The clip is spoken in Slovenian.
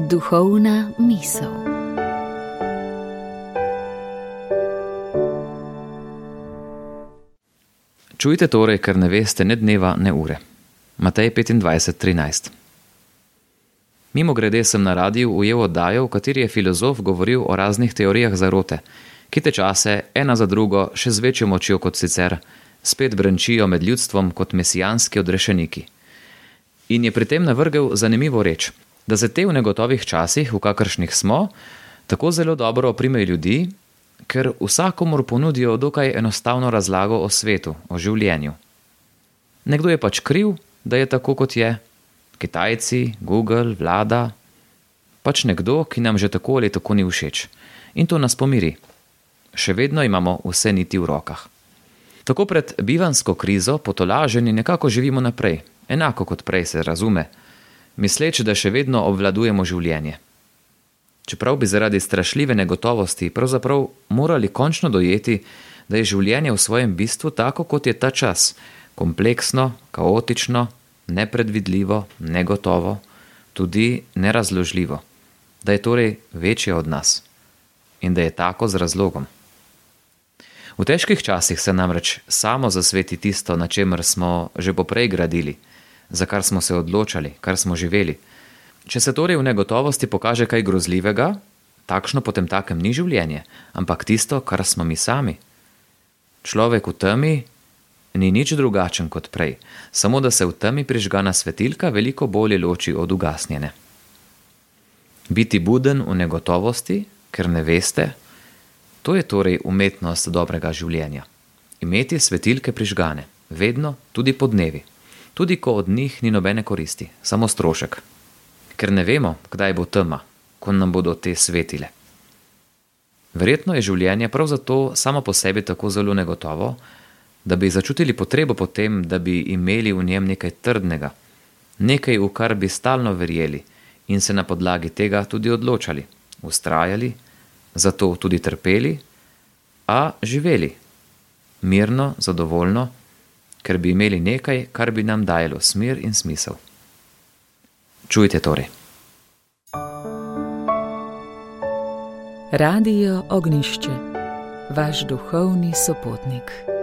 Duhovna misel. Čujte torej, ker ne veste ne dneva, ne ure. Matej 25:13. Mimogrede sem na radiju ujel oddajo, v kateri je filozof govoril o raznih teorijah zarote, ki te čase, ena za drugo, še z večjo močjo kot sicer, spet brenčijo med ljudstvom kot mesijanski odrešeniki. In je pri tem navrgel zanimivo reč, da se te v negotovih časih, v kakršnih smo, tako zelo dobro oprimejo ljudi, ker vsakomur ponudijo dokaj enostavno razlago o svetu, o življenju. Nekdo je pač kriv, da je tako, kot je. Kitajci, Google, vlada, pač nekdo, ki nam že tako ali tako ni všeč. In to nas pomiri. Še vedno imamo vse niti v rokah. Tako pred bivanjsko krizo potolaženi nekako živimo naprej, enako kot prej, se razume, misleč, da še vedno obvladujemo življenje. Čeprav bi zaradi strašljive negotovosti pravzaprav morali končno dojeti, da je življenje v svojem bistvu tako, kot je ta čas, kompleksno, kaotično, nepredvidljivo, negotovo, tudi nerazložljivo, da je torej večje od nas in da je tako z razlogom. V težkih časih se namreč samo zasveti tisto, na čemer smo že poprej gradili, za kar smo se odločali, kar smo živeli. Če se torej v negotovosti pokaže kaj grozljivega, takšno potemtakem ni življenje, ampak tisto, kar smo mi sami. Človek v temi ni nič drugačen kot prej, samo da se v temi prižgana svetilka veliko bolje loči od ugasnjene. Biti buden v negotovosti, ker ne veste, to je torej umetnost dobrega življenja. Imeti svetilke prižgane, vedno, tudi po dnevi, tudi ko od njih ni nobene koristi, samo strošek. Ker ne vemo, kdaj bo tema, ko nam bodo te svetile. Verjetno je življenje prav zato samo po sebi tako zelo negotovo, da bi začutili potrebo po tem, da bi imeli v njem nekaj trdnega, nekaj, v kar bi stalno verjeli in se na podlagi tega tudi odločali, vztrajali, zato tudi trpeli, a živeli, mirno, zadovoljno, ker bi imeli nekaj, kar bi nam dajalo smer in smisel. Čujte torej. Radio Ognjišče, vaš duhovni sopotnik.